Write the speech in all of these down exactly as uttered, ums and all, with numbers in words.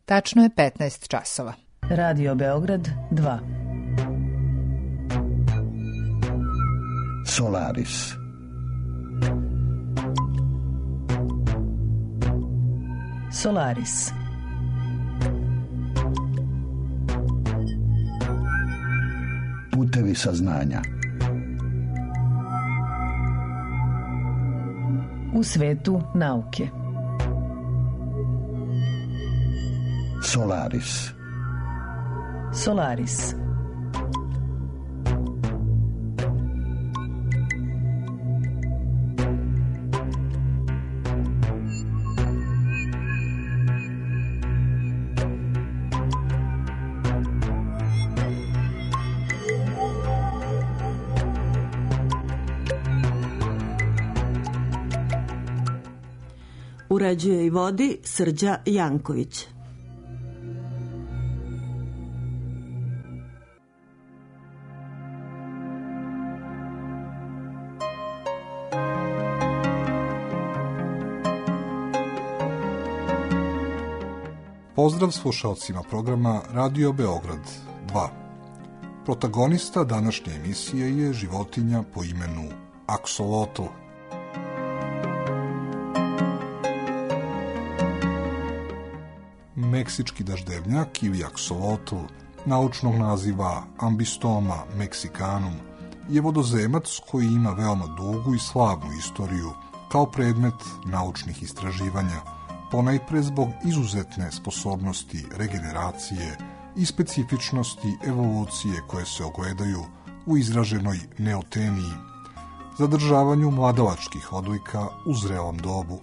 Tačno je petnaest časova. Radio Beograd dva. Solaris. Solaris. Putevi saznanja. U svetu nauke. Solaris. Solaris. Uređuje i vodi Srđa Janković. Pozdrav slušalcima programa Radio Beograd dva. Protagonista današnje emisije je životinja po imenu aksolotl. Meksički daždevnjak ili aksolotl, naučnog naziva Ambistoma mexicanum, je vodozemac koji ima veoma dugu i slavnu istoriju kao predmet naučnih istraživanja, ponajpre zbog izuzetne sposobnosti regeneracije i specifičnosti evolucije koje se ogledaju u izraženoj neoteniji, zadržavanju mladalačkih odlika u zrelom dobu.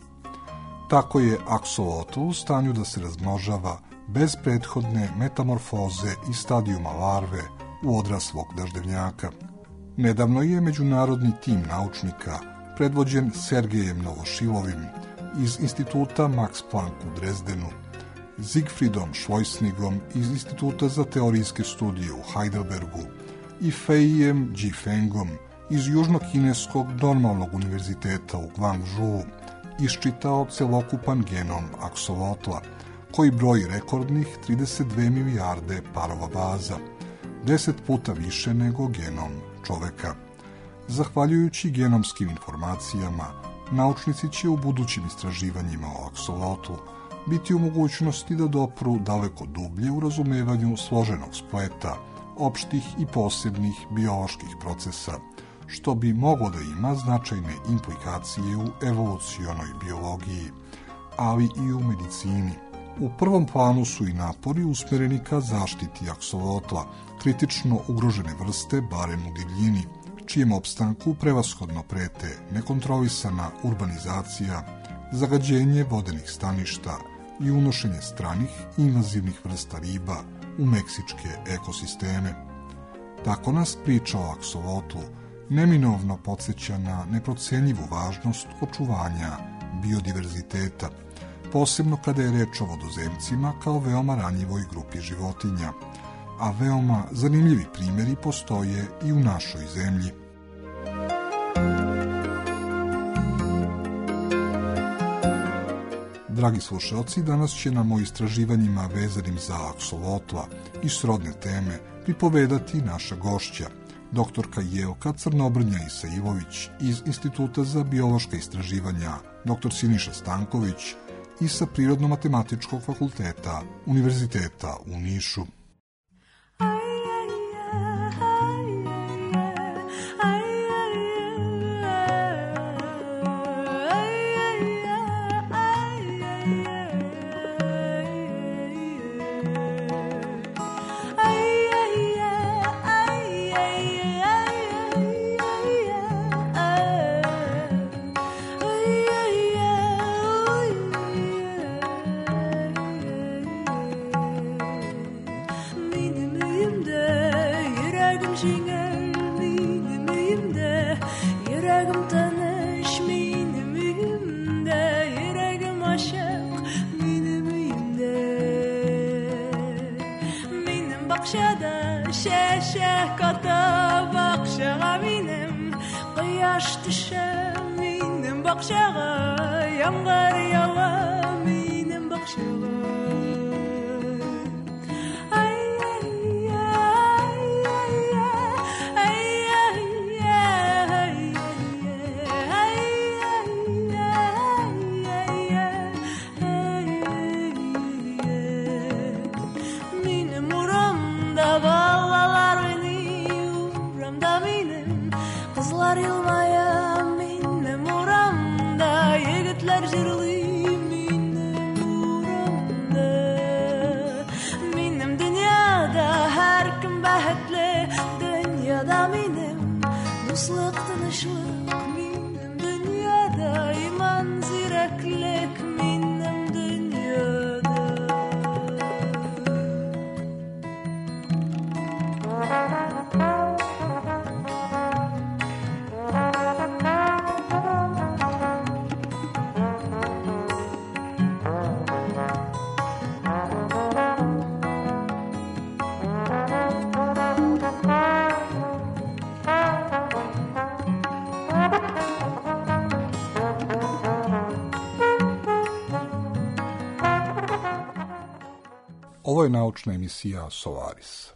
Tako je aksolotl u stanju da se razmnožava bez prethodne metamorfoze i stadijuma larve u odraslog daždevnjaka. Nedavno je međunarodni tim naučnika predvođen Sergejem Novošilovim iz Instituta Max Planck u Drezdenu, Siegfriedom Schleusnigom iz Instituta za teorijske studije u Heidelbergu i Feijem Jifengom iz Južnokineskog normalnog univerziteta u Guangzhou iščitao celokupan genom aksolotla, koji broji rekordnih trideset dve milijarde parova baza, deset puta više nego genom čoveka. Zahvaljujući genomskim informacijama, naučnici će u budućim istraživanjima o aksolotlu biti u mogućnosti da dopru daleko dublje u razumevanju složenog spleta, opštih i posebnih bioloških procesa, što bi moglo da ima značajne implikacije u evolucionoj biologiji, ali i u medicini. U prvom planu su i napori usmereni ka zaštiti aksolotla, kritično ugrožene vrste, barem u divljini, čijem opstanku prevashodno prete nekontrolisana urbanizacija, zagađenje vodenih staništa i unošenje stranih invazivnih vrsta riba u meksičke ekosisteme. Tako nas priča o aksolotlu neminovno podsjeća na neprocenjivu važnost očuvanja biodiverziteta, posebno kada je reč o vodozemcima kao veoma ranjivoj grupi životinja, a veoma zanimljivi primjeri postoje i u našoj zemlji. Dragi slušalci, danas će nam o istraživanjima vezanim za aksolotla i srodne teme pripovedati naša gošća, doktorka Jelka Crnobrnja Isailović iz Instituta za biološka istraživanja, doktor Siniša Stanković i sa Prirodno-matematičkog fakulteta Univerziteta u Nišu. bakşağa, yangar yağa minin bakşağa. Ovo je naučna emisija Solaris.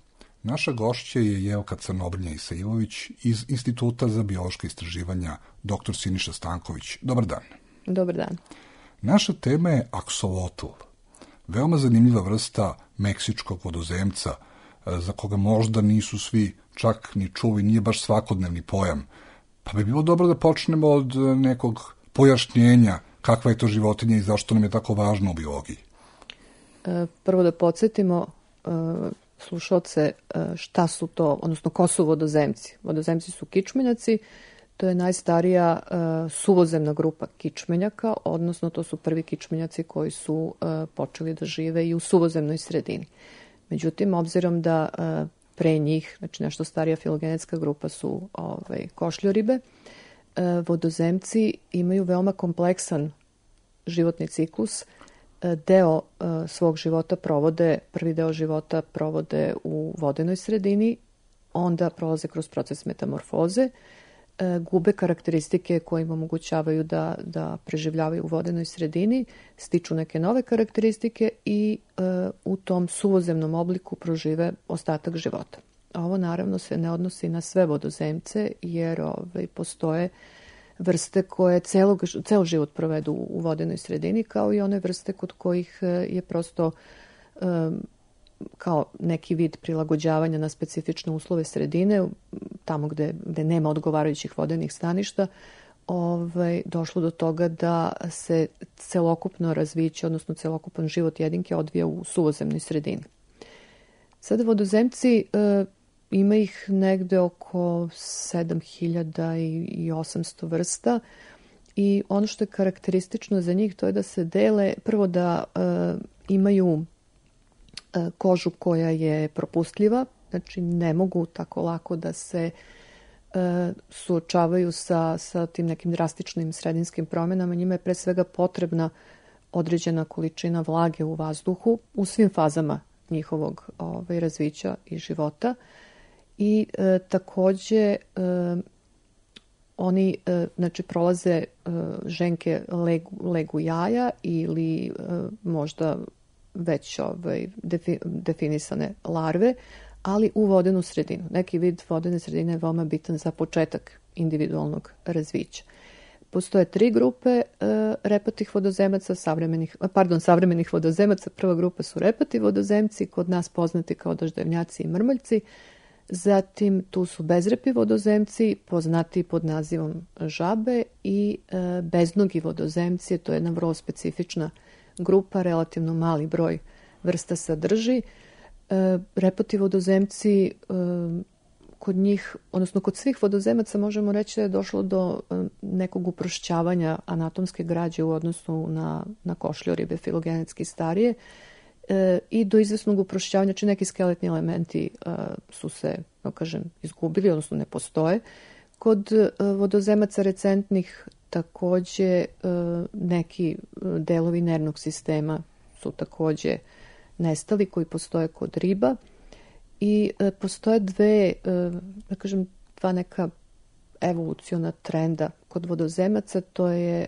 Naša gošća je Jelka Crnobrnja Isailović iz Instituta za biološka istraživanja doktor Siniša Stanković. Dobar dan. Dobar dan. Naša tema je aksolotl, veoma zanimljiva vrsta meksičkog vodozemca, za koga možda nisu svi čak ni čuli, nije baš svakodnevni pojam. Pa bi bilo dobro da počnemo od nekog pojašnjenja kakva je to životinja i zašto nam je tako važno u biologiji. Prvo da podsjetimo slušalce šta su to, odnosno ko su vodozemci. Vodozemci su kičmenjaci, to je najstarija suvozemna grupa kičmenjaka, odnosno to su prvi kičmenjaci koji su počeli da žive i u suvozemnoj sredini. Međutim, obzirom da pre njih, znači nešto starija filogenetska grupa su ovaj, košljoribe, vodozemci imaju veoma kompleksan životni ciklus. Deo svog života provode, prvi deo života provode u vodenoj sredini, onda prolaze kroz proces metamorfoze, gube karakteristike koje im omogućavaju da, da preživljavaju u vodenoj sredini, stiču neke nove karakteristike i e, u tom suvozemnom obliku prožive ostatak života. Ovo naravno se ne odnosi na sve vodozemce, jer ovaj, postoje vrste koje celog, ceo život provedu u vodenoj sredini, kao i one vrste kod kojih je prosto e, kao neki vid prilagođavanja na specifične uslove sredine, tamo gde, gde nema odgovarajućih vodenih staništa, ovaj, došlo do toga da se celokupno razviće, odnosno celokupan život jedinke odvija u suvozemnoj sredini. Sada vodozemci, e, ima ih negde oko sedam hiljada osamsto vrsta i ono što je karakteristično za njih to je da se dele, prvo da e, imaju kožu koja je propustljiva, znači ne mogu tako lako da se e, suočavaju sa, sa tim nekim drastičnim sredinskim promjenama. Njima je pre svega potrebna određena količina vlage u vazduhu u svim fazama njihovog ovaj, razvića i života. I e, takođe e, oni e, znači, prolaze e, ženke legu, legu jaja ili e, možda već ovaj, defi, definisane larve, ali u vodenu sredinu. Neki vid vodene sredine je veoma bitan za početak individualnog razvića. Postoje tri grupe e, repatih vodozemaca, savremenih, pardon, savremenih vodozemaca. Prva grupa su repati vodozemci, kod nas poznati kao daždevnjaci i mrmoljci. Zatim tu su bezrepi vodozemci, poznati pod nazivom žabe, i e, beznogi vodozemci, to je jedna vrlo specifična grupa, relativno mali broj vrsta sadrži. E, repati vodozemci, e, kod njih, odnosno kod svih vodozemaca možemo reći da je došlo do e, nekog uprošćavanja anatomske građe u odnosu na, na košljoribe filogenetski starije e, i do izvesnog uprošćavanja, znači neki skeletni elementi e, su se, no kažem, izgubili, odnosno ne postoje. Kod e, vodozemaca recentnih takođe neki delovi nervnog sistema su takođe nestali koji postoje kod riba i postoje dve, da kažem, dva neka evoluciona trenda kod vodozemaca. To je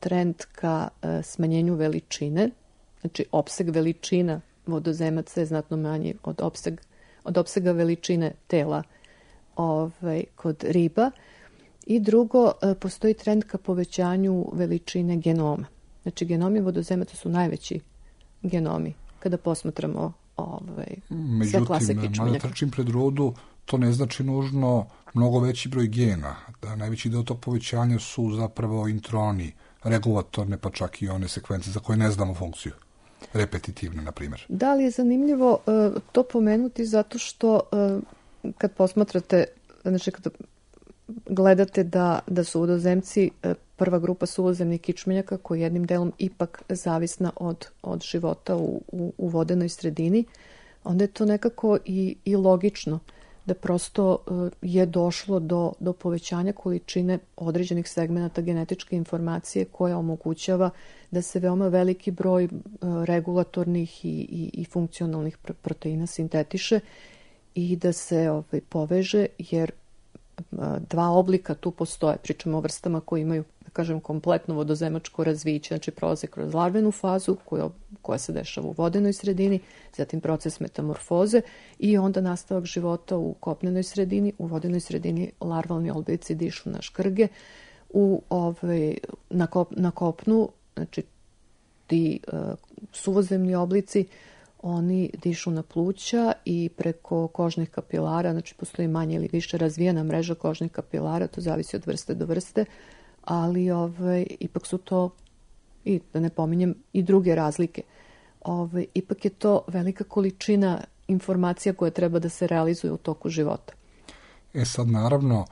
trend ka smanjenju veličine, znači opseg veličina vodozemaca je znatno manji od, opseg, od opsega veličine tela ovaj, kod riba. I drugo, postoji trend ka povećanju veličine genoma. Znači, genomi vodozemaca su najveći genomi kada posmatramo ovaj, sve klase kičmenjaka. Međutim, mada trčim pred rodu, to ne znači nužno mnogo veći broj gena. Da najveći deo tog povećanja su zapravo introni, regulatorne, pa čak i one sekvence za koje ne znamo funkciju. Repetitivne, na primjer. Da li je zanimljivo uh, to pomenuti zato što uh, kad posmatrate, znači kada gledate da, da su vodozemci prva grupa suvozemnih kičmenjaka koji jednim delom ipak zavisna od, od života u, u, u vodenoj sredini, onda je to nekako i, i logično da prosto je došlo do, do povećanja količine određenih segmenata genetičke informacije koja omogućava da se veoma veliki broj regulatornih i, i, i funkcionalnih proteina sintetiše i da se ovaj, poveže, jer dva oblika tu postoje. Pričamo o vrstama koje imaju da kažem, kompletno vodozemačko razviće, znači prolaze kroz larvenu fazu koja, koja se dešava u vodenoj sredini, zatim proces metamorfoze i onda nastavak života u kopnenoj sredini. U vodenoj sredini larvalni oblici dišu na škrge, u, ovaj, na, kop, na kopnu, znači ti uh, suvozemni oblici, oni dišu na pluća i preko kožnih kapilara, znači postoji manje ili više razvijena mreža kožnih kapilara, to zavisi od vrste do vrste, ali ovaj, ipak su to, i da ne pominjem, i druge razlike. Ovaj, ipak je to velika količina informacija koja treba da se realizuje u toku života. E sad, naravno,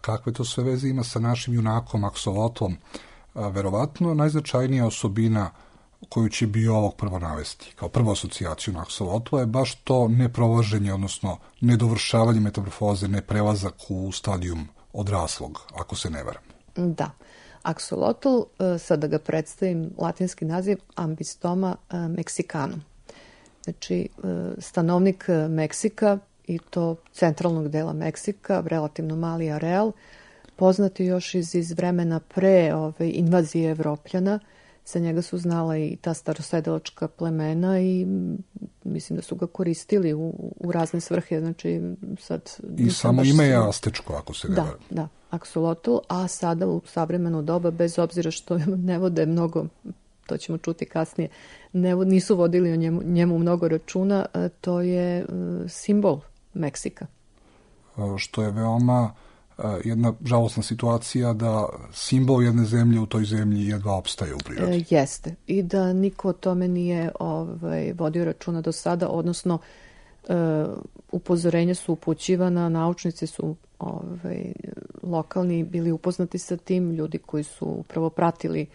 kakve to sve veze ima sa našim junakom, aksolotlom? Verovatno najznačajnija osobina koju će biolog prvo navesti kao prvu asocijaciju na aksolotla je baš to neprolaženje, odnosno nedovršavanje metamorfoze, neprelazak u stadijum odraslog, ako se ne varam. Da. Aksolotl, sad da ga predstavim, latinski naziv Ambistoma mexicanum. Znači, stanovnik Meksika, i to centralnog dela Meksika, relativno mali areal, poznati još iz, iz vremena pre ove, invazije Evropljana. Za njega su znala i ta starosedelačka plemena i mislim da su ga koristili u, u razne svrhe. Znači, sad, I samo ime je astečko, ako se ne varam. Da, da, aksolotl, a sada u savremeno doba, bez obzira što ne vode mnogo, to ćemo čuti kasnije, ne, nisu vodili o njemu, njemu mnogo računa, to je simbol Meksika. Što je veoma jedna žalosna situacija da simbol jedne zemlje u toj zemlji jedva opstaje u prirodi. E, jeste. I da niko o tome nije ovaj, vodio računa do sada, odnosno e, upozorenja su upućivana, naučnici su ovaj, lokalni bili upoznati sa tim, ljudi koji su upravo pratili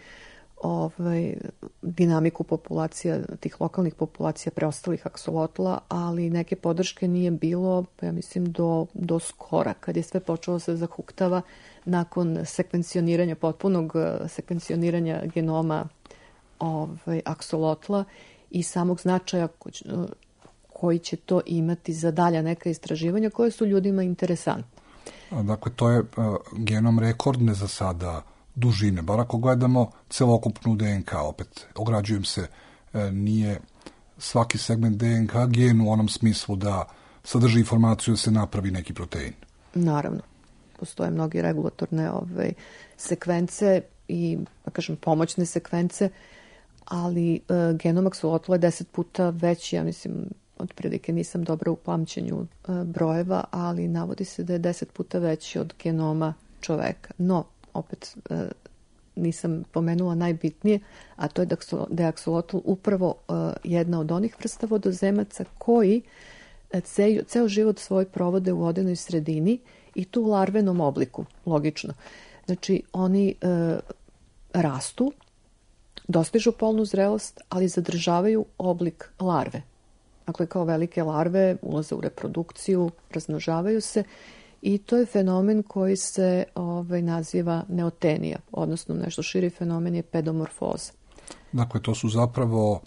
ovaj, dinamiku populacija, tih lokalnih populacija preostalih aksolotla, ali neke podrške nije bilo, ja mislim, do, do skora, kad je sve počelo se zahuktava nakon sekvencioniranja, potpunog sekvencioniranja genoma ovaj, aksolotla i samog značaja koji će to imati za dalja neka istraživanja koje su ljudima interesantne. Dakle, to je uh, genom rekordne za sada dužine, bar ako gledamo celokupnu D N K, opet ograđujem se, nije svaki segment D N K gen u onom smislu da sadrži informaciju da se napravi neki protein. Naravno. Postoje mnogi regulatorne ove, sekvence i, da kažem, pomoćne sekvence, ali e, genom aksolotla je deset puta veći, ja mislim, otprilike nisam dobra u pamćenju e, brojeva, ali navodi se da je deset puta veći od genoma čoveka. No, opet e, nisam pomenula najbitnije, a to je da je aksolotl upravo e, jedna od onih vrsta vodozemaca koji e, ceo, ceo život svoj provode u vodenoj sredini i tu u larvenom obliku, logično. Znači, oni e, rastu, dostižu polnu zrelost, ali zadržavaju oblik larve. Dakle, kao velike larve ulaze u reprodukciju, razmnožavaju se i to je fenomen koji se ovaj, naziva neotenija, odnosno nešto širi fenomen je pedomorfoza. Dakle, to su zapravo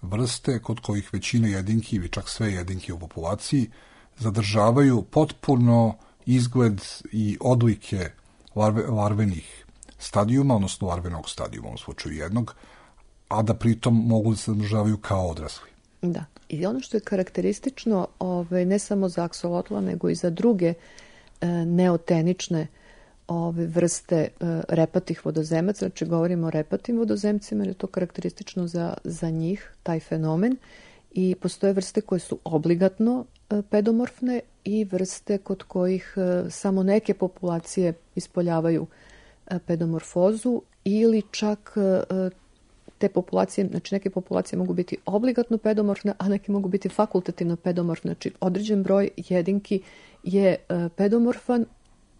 vrste kod kojih većina jedinki ili čak sve jedinke u populaciji zadržavaju potpuno izgled i odlike larve, larvenih stadijuma, odnosno larvenog stadijuma u slučaju jednog, a da pritom mogu da se zadržavaju kao odrasli. Da. I ono što je karakteristično ovaj, ne samo za aksolotla, nego i za druge e, neotenične ove vrste e, repatih vodozemaca, znači govorimo o repatim vodozemcima, jer je to karakteristično za, za njih, taj fenomen, i postoje vrste koje su obligatno e, pedomorfne i vrste kod kojih e, samo neke populacije ispoljavaju e, pedomorfozu ili čak e, te populacije, znači neke populacije mogu biti obligatno pedomorfne, a neke mogu biti fakultativno pedomorfne. Znači određen broj jedinki je e, pedomorfan,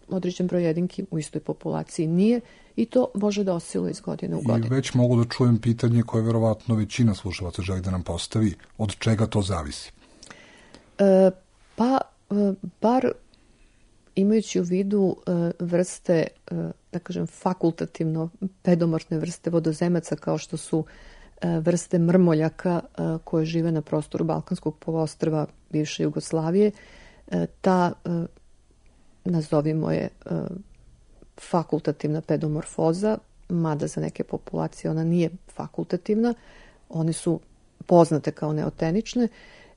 određen broj jedinki u istoj populaciji nije i to može da osciluje iz godine u godinu. I već mogu da čujem pitanje koje verovatno većina slušalaca želi da nam postavi. Od čega to zavisi? E, pa, e, bar imajući u vidu e, vrste, e, da kažem, fakultativno pedomorfne vrste vodozemaca kao što su e, vrste mrmoljaka e, koje žive na prostoru Balkanskog poluostrva bivše Jugoslavije, e, ta, e, nazovimo je, e, fakultativna pedomorfoza, mada za neke populacije ona nije fakultativna, one su poznate kao neotenične,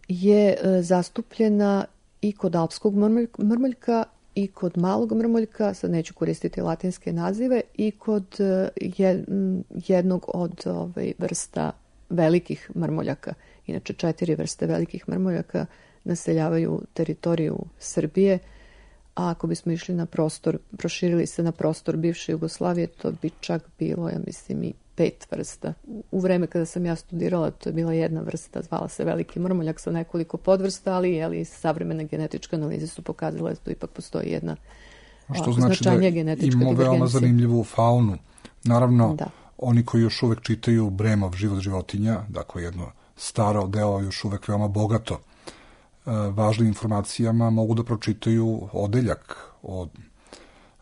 je zastupljena i kod alpskog mrmoljka i kod malog mrmoljka, sad neću koristiti latinske nazive, i kod jednog od ovaj, vrsta velikih mrmoljaka. Inače, četiri vrste velikih mrmoljaka naseljavaju teritoriju Srbije, a ako bismo išli na prostor, proširili se na prostor bivše Jugoslavije, to bi čak bilo, ja mislim, i pet vrsta. U vreme kada sam ja studirala, to je bila jedna vrsta, zvala se veliki mrmoljak sa nekoliko podvrsta, ali jeli, savremene genetičke analize su pokazale da tu ipak postoji jedna što znači da imamo veoma zanimljivu faunu. Naravno, da. Oni koji još uvek čitaju Bremov život životinja, dakle jedno staro delo još uvek veoma bogato važnim informacijama, mogu da pročitaju odeljak o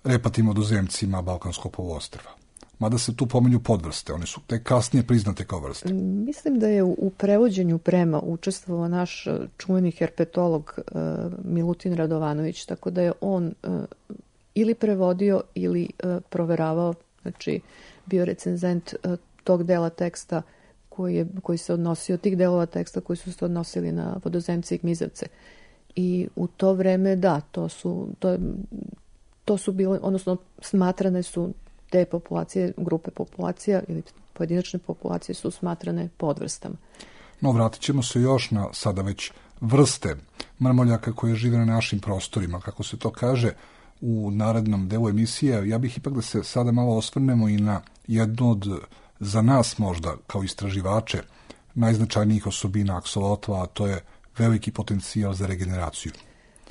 repatim vodozemcima Balkanskog poluostrva. Mada se tu pominju podvrste, one su tek kasnije priznate kao vrste. Mislim da je u prevođenju Brema učestvovao naš čuveni herpetolog uh, Milutin Radovanović, tako da je on uh, ili prevodio ili uh, proveravao, znači bio recenzent uh, tog dela teksta koji, je, koji se odnosio, tih delova teksta koji su se odnosili na vodozemce i gmizavce. I u to vreme, da, to su, to, to su bile, odnosno smatrane su te populacije, grupe populacija ili pojedinačne populacije su smatrane podvrstama. No, vratit ćemo se još na sada već vrste mrmoljaka koje žive na našim prostorima, kako se to kaže u narednom delu emisije. Ja bih ipak da se sada malo osvrnemo i na jednu od, za nas možda, kao istraživače, najznačajnijih osobina aksolotla, a to je veliki potencijal za regeneraciju.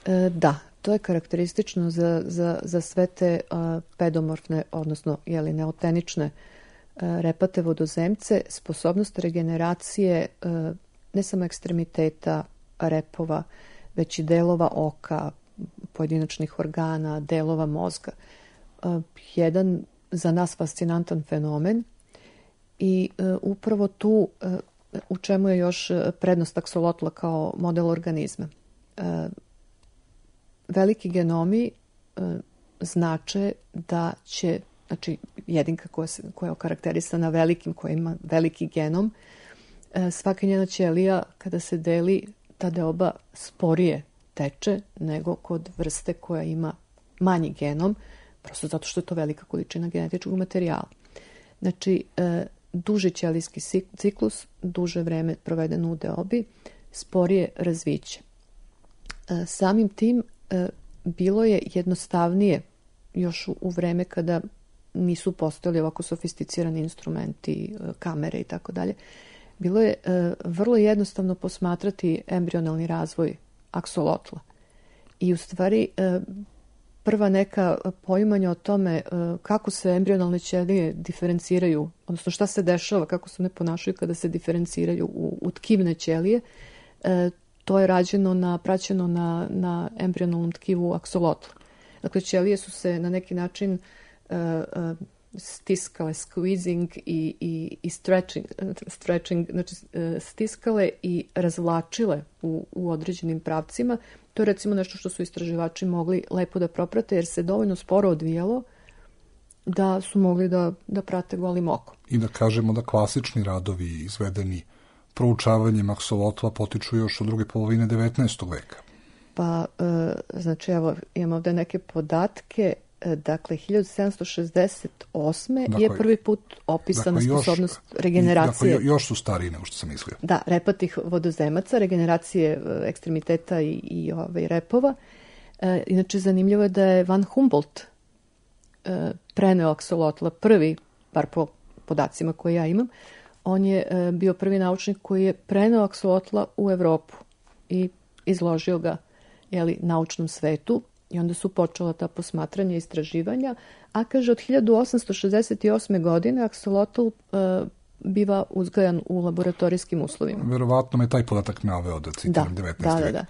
E, da, to je karakteristično za, za, za sve te uh, pedomorfne, odnosno jeli, neotenične uh, repate vodozemce, sposobnost regeneracije uh, ne samo ekstremiteta repova, već i delova oka, pojedinačnih organa, delova mozga. Uh, jedan za nas fascinantan fenomen i uh, upravo tu uh, u čemu je još prednost aksolotla kao model organizma. Uh, Veliki genomi e, znače da će, znači jedinka koja, se, koja je okarakterisana velikim, koja ima veliki genom, e, svaka njena ćelija kada se deli, ta deoba sporije teče nego kod vrste koja ima manji genom, prosto zato što je to velika količina genetičkog materijala. Znači, e, duži ćelijski ciklus, duže vreme provedeno u deobi, sporije razviće. E, samim tim bilo je jednostavnije još u vreme kada nisu postojali ovako sofisticirani instrumenti, kamere i tako dalje. Bilo je vrlo jednostavno posmatrati embrionalni razvoj aksolotla. I u stvari prva neka poimanja o tome kako se embrionalne ćelije diferenciraju, odnosno šta se dešava, kako se one ponašaju kada se diferenciraju u, u tkivne ćelije, to je rađeno na, praćeno na, na embrionalnom tkivu aksolotla. Dakle, ćelije su se na neki način uh, uh, stiskale, squeezing i, i, i stretching, stretching, znači uh, stiskale i razvlačile u, u određenim pravcima. To je recimo nešto što su istraživači mogli lepo da proprate, jer se dovoljno sporo odvijalo da su mogli da, da prate golim okom. I da kažemo da klasični radovi izvedeni proučavanjem aksolotla potiču još od druge polovine devetnaestog veka. Pa, e, znači, evo, imamo ovde neke podatke. E, dakle, hiljadu sedamsto šezdeset osme dakle, je prvi put opisana dakle, sposobnost još, regeneracije. Dakle, još su stariji nego što sam mislio. Da, repatih vodozemaca, regeneracije ekstremiteta i, i ovaj, repova. E, inače, zanimljivo je da je Van Humboldt e, preneo aksolotla prvi, bar po podacima koje ja imam, on je e, bio prvi naučnik koji je preneo aksolotla u Evropu i izložio ga jeli, naučnom svetu i onda su počela ta posmatranja i istraživanja, a kaže od hiljadu osamsto šezdeset osme. godine aksolotl e, biva uzgajan u laboratorijskim uslovima. Verovatno me taj podatak naveo da citiram devetnaesti. Da, da,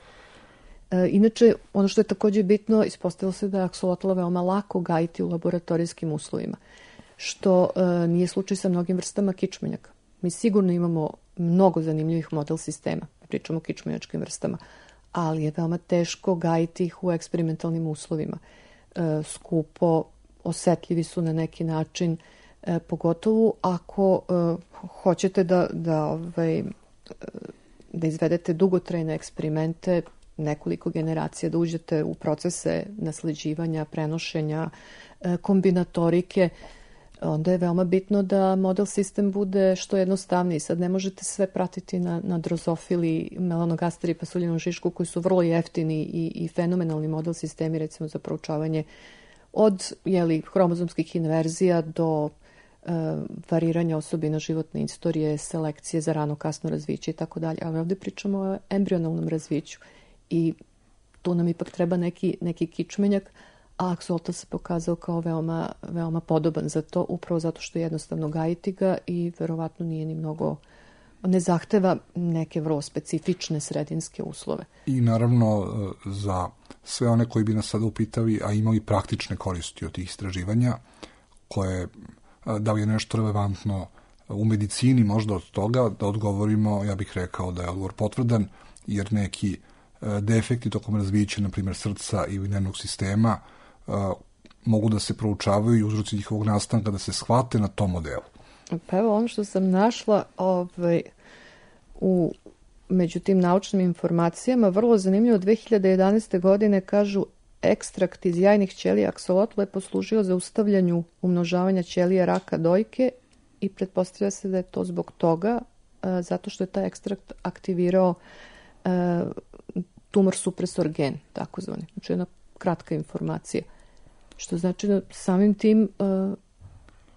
da. E, inače, ono što je također bitno, ispostavilo se da je aksolotla veoma lako gajiti u laboratorijskim uslovima, što e, nije slučaj sa mnogim vrstama kičmenjaka. Mi sigurno imamo mnogo zanimljivih model sistema, pričamo o kičmenjačkim vrstama, ali je veoma teško gajiti ih u eksperimentalnim uslovima. E, skupo, osetljivi su na neki način, e, pogotovo ako e, hoćete da, da, ovaj, da izvedete dugotrajne eksperimente, nekoliko generacija, da uđete u procese nasleđivanja, prenošenja, e, kombinatorike, onda je veoma bitno da model sistem bude što jednostavniji. Sad ne možete sve pratiti na, na drozofili, melanogasteri, pasuljinom šišku, koji su vrlo jeftini i, i fenomenalni model sistemi, recimo za proučavanje od jeli, hromozomskih inverzija do e, variranja osobina životne istorije, selekcije za rano kasno razviće i tako dalje. Ali ovdje pričamo o embrionalnom razviću i tu nam ipak treba neki, neki kičmenjak, a aksolotl se pokazao kao veoma, veoma podoban za to, upravo zato što je jednostavno gajiti ga i verovatno nije ni mnogo, ne zahteva neke vrlo specifične sredinske uslove. I naravno za sve one koji bi nas sada upitali, a imali praktične koristi od tih istraživanja, koje, da li je nešto relevantno u medicini možda od toga, da odgovorimo, ja bih rekao da je odgovor potvrdan, jer neki defekti tokom razvića, na primjer srca ili nervnog sistema, mogu da se proučavaju i uzroci njihovog nastanka da se shvate na tom modelu. Pa evo ono što sam našla ovaj, u, među tim naučnim informacijama, vrlo zanimljivo, dve hiljade jedanaeste. godine kažu ekstrakt iz jajnih ćelija aksolotla je poslužio za ustavljanju umnožavanja ćelija raka dojke i pretpostavlja se da je to zbog toga, a, zato što je taj ekstrakt aktivirao a, tumor supresor gen, takozvani. Znači jedna kratka informacija. Što znači da samim tim uh,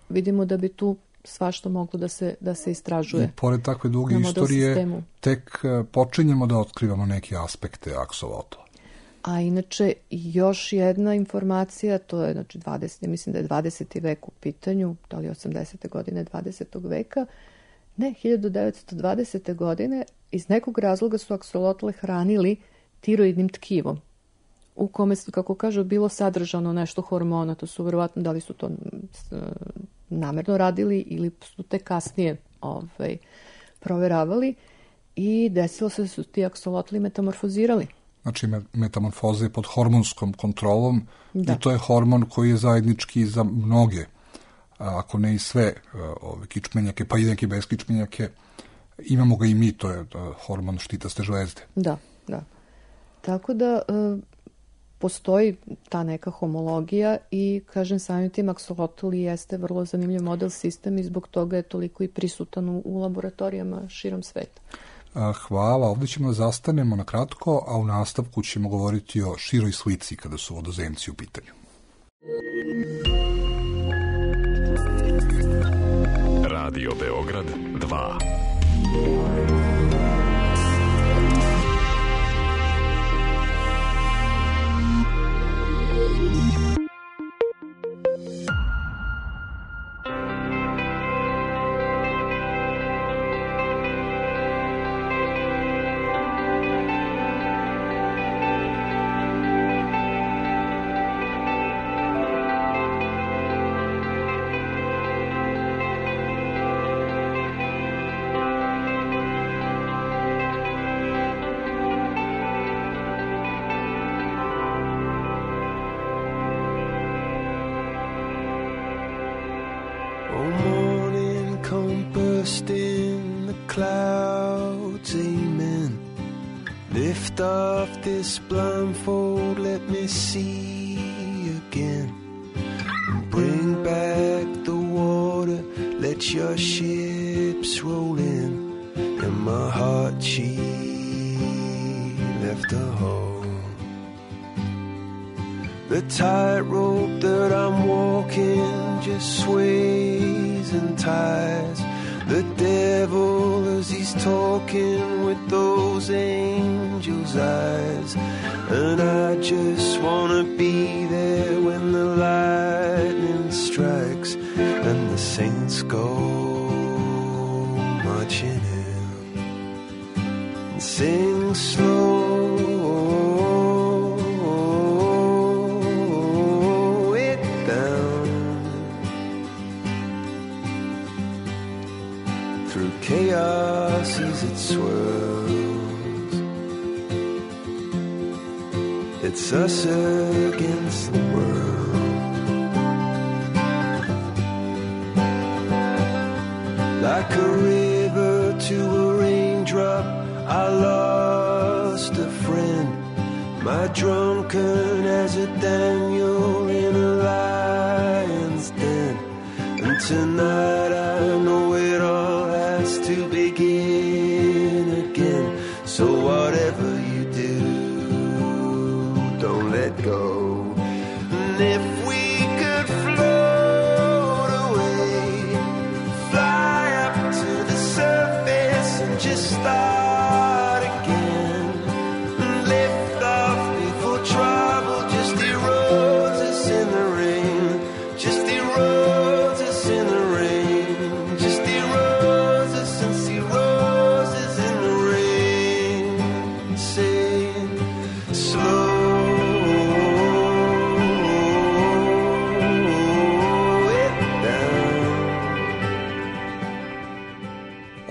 vidimo da bi tu svašta moglo da se, da se istražuje. I pored takve duge istorije, sistemu. Tek uh, počinjemo da otkrivamo neke aspekte aksolotla. A inače, još jedna informacija, to je znači dvadeseti mislim da je dvadeseti vek u pitanju, da li osamdesete godine dvadesetog veka, ne, hiljadu devetsto dvadesete. godine, iz nekog razloga su aksolotle hranili tiroidnim tkivom, u kome su, kako kažu, bilo sadržano nešto hormona. To su verovatno, da li su to namerno radili ili su te kasnije ovaj, proveravali, i desilo se da su ti aksolotli metamorfozirali. Znači metamorfoza je pod hormonskom kontrolom, da. I to je hormon koji je zajednički za mnoge, ako ne i sve ove kičmenjake, pa i neke beskičmenjake. Imamo ga i mi, to je hormon štitaste žlezde. Da, da. Tako da postoji ta neka homologija i, kažem, samim tim aksolotl jeste vrlo zanimljiv model sistem i zbog toga je toliko i prisutan u, u laboratorijama širom sveta. Hvala, ovdje ćemo da zastanemo na kratko, a u nastavku ćemo govoriti o široj slici kada su vodozemci u pitanju. Radio Beograd dva. This blindfold, let me see again. Bring back the water, let your ships roll in. And my heart, she left a hole. The tightrope that I'm walking just sways and ties. The devil as he's talking with those angels' eyes. And I just wanna be there when the lightning strikes and the saints go marching in. And sing slow it down through chaos as it swirls. It's us against the world. Like a river to a raindrop, I lost a friend. My drunken as a Daniel in a lion's den. And tonight I know it all has to begin again. So whatever you do, don't let go. And if we could float away, fly up to the surface and just start again, and lift off before trouble just erodes us in the rain, just erodes us in the rain, just erodes us and see roses in the rain. Say slow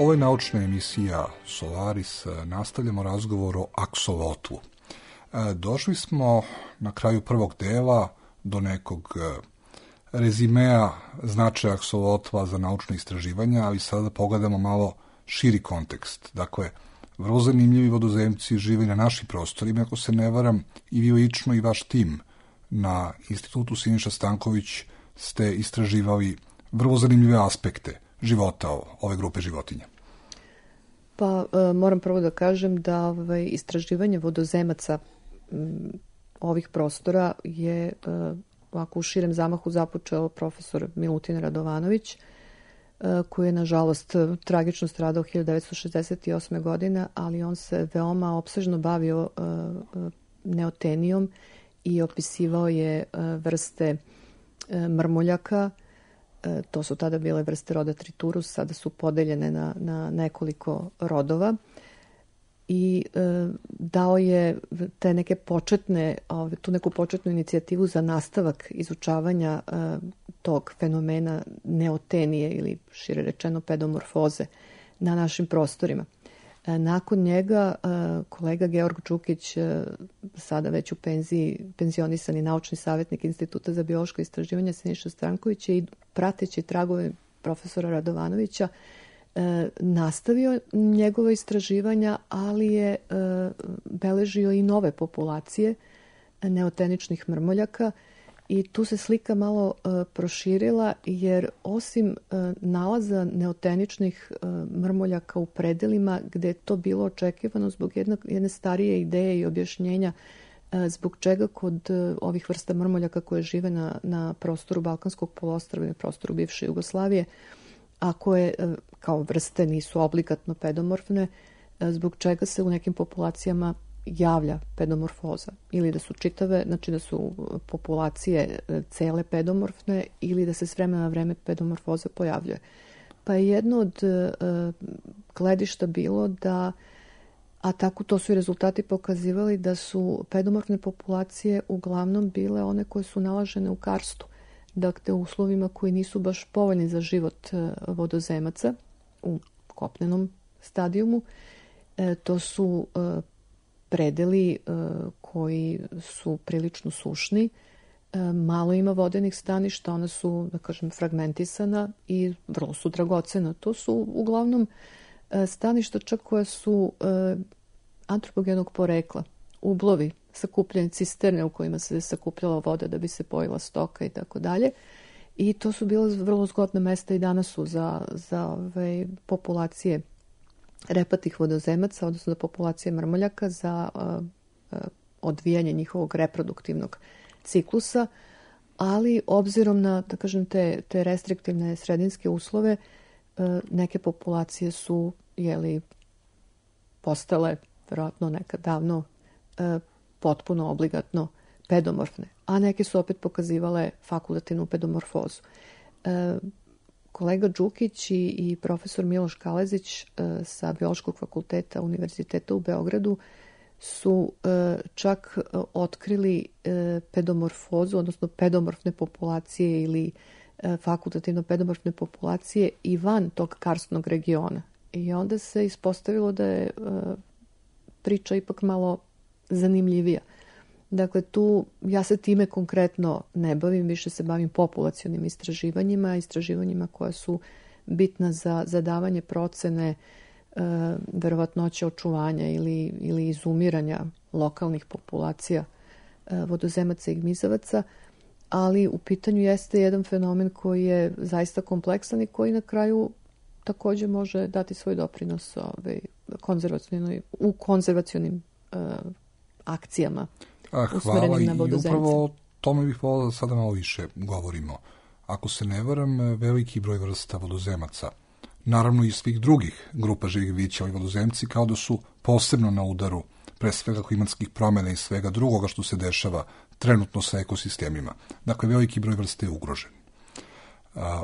Ovo je naučna emisija Solaris. Nastavljamo razgovor o aksolotlu. Došli smo na kraju prvog dela do nekog rezimea značaja aksolotla za naučne istraživanja, ali sada pogledamo malo širi kontekst. Dakle, vrlo zanimljivi vodozemci žive na našim prostorima. Ako se ne varam, i vi lično i vaš tim na Institutu Siniša Stanković ste istraživali vrlo zanimljive aspekte života ove grupe životinja. Pa e, moram prvo da kažem da ovaj, istraživanje vodozemaca m, ovih prostora je e, ovako u širem zamahu započeo profesor Milutin Radovanović, e, koji je nažalost tragično stradao hiljadu devetsto šezdeset osme. godine, ali on se veoma opsežno bavio e, neotenijom i opisivao je e, vrste e, mrmuljaka. E, to su tada bile vrste roda Triturus, sada su podeljene na, na nekoliko rodova i e, dao je te neke početne, ove, tu neku početnu inicijativu za nastavak izučavanja e, tog fenomena neotenije ili šire rečeno pedomorfoze na našim prostorima. E, nakon njega e, kolega Georg Đukić, e, sada već u penziji, penzionisani naučni savjetnik Instituta za biološko istraživanje Siniša Stanković i prateći tragove profesora Radovanovića e, nastavio njegove istraživanja, ali je e, beležio i nove populacije neoteničnih mrmoljaka i tu se slika malo e, proširila, jer osim e, nalaza neoteničnih e, mrmoljaka u predelima gde je to bilo očekivano zbog jedne, jedne starije ideje i objašnjenja e, zbog čega kod e, ovih vrsta mrmoljaka koje žive na, na prostoru Balkanskog poluostrva i na prostoru bivše Jugoslavije, a koje e, kao vrste nisu obligatno pedomorfne, e, zbog čega se u nekim populacijama javlja pedomorfoza, ili da su čitave, znači da su populacije cele pedomorfne ili da se s vremena na vreme pedomorfoza pojavljuje. Pa je jedno od uh, gledišta bilo da, a tako to su i rezultati pokazivali, da su pedomorfne populacije uglavnom bile one koje su nalažene u karstu, dakle u uslovima koji nisu baš povoljni za život uh, vodozemaca u kopnenom stadijumu. E, to su uh, predeli uh, koji su prilično sušni, uh, malo ima vodenih staništa, ona su, da kažem, fragmentisana i vrlo su dragocena. To su uglavnom uh, staništa čak koja su uh, antropogenog porekla, ublovi, sakupljene cisterne u kojima se sakupljala voda da bi se pojila stoka i tako dalje. I to su bila vrlo zgodna mesta i danas su za, za ove populacije repatih vodozemaca, odnosno za populacije mrmoljaka, za uh, uh, odvijanje njihovog reproduktivnog ciklusa, ali obzirom na, da kažem, te, te restriktivne sredinske uslove, uh, neke populacije su, jeli, postale, verovatno nekad davno, uh, potpuno obligatno pedomorfne, a neke su opet pokazivale fakultativnu pedomorfozu. Uh, Kolega Đukić i, i profesor Miloš Kalezić e, sa Biološkog fakulteta Univerziteta u Beogradu su e, čak e, otkrili e, pedomorfozu, odnosno pedomorfne populacije ili e, fakultativno pedomorfne populacije i van tog karstnog regiona. I onda se ispostavilo da je e, priča ipak malo zanimljivija. Dakle, tu ja se time konkretno ne bavim, više se bavim populacionim istraživanjima, istraživanjima koja su bitna za zadavanje procene e, verovatnoće očuvanja ili, ili izumiranja lokalnih populacija e, vodozemaca i gmizavaca, ali u pitanju jeste jedan fenomen koji je zaista kompleksan i koji na kraju takođe može dati svoj doprinos ovaj, konzervacionoj, u konzervacionim uh, akcijama A, usmerenim na vodozemce. Hvala i upravo o tome bih volao da sada malo više govorimo. Ako se ne varam, veliki broj vrsta vodozemaca, naravno i svih drugih grupa živih bića, ovi vodozemci kao da su posebno na udaru pre svega klimatskih promjena i svega drugoga što se dešava trenutno sa ekosistemima. Dakle, veliki broj vrsta je ugrožen. A,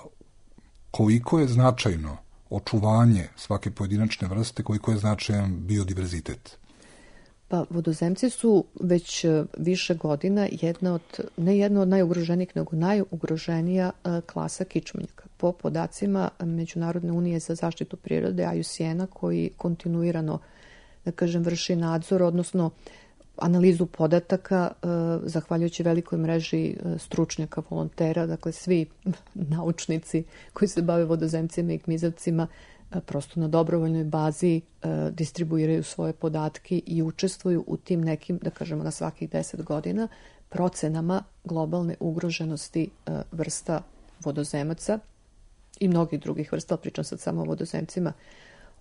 koliko je značajno očuvanje svake pojedinačne vrste, koliko je značajan biodiverzitet? Pa, vodozemci su već više godina jedna od, ne jedna od najugroženijih, nego najugroženija klasa kičmenjaka. Po podacima Međunarodne unije za zaštitu prirode, I U C N-a, koji kontinuirano, da kažem, vrši nadzor, odnosno analizu podataka, zahvaljujući velikoj mreži stručnjaka, volontera, dakle svi naučnici koji se bave vodozemcima i gmizavcima prosto na dobrovoljnoj bazi distribuiraju svoje podatke i učestvuju u tim nekim, da kažemo na svakih deset godina, procenama globalne ugroženosti vrsta vodozemaca i mnogih drugih vrsta, pričam sad samo o vodozemcima,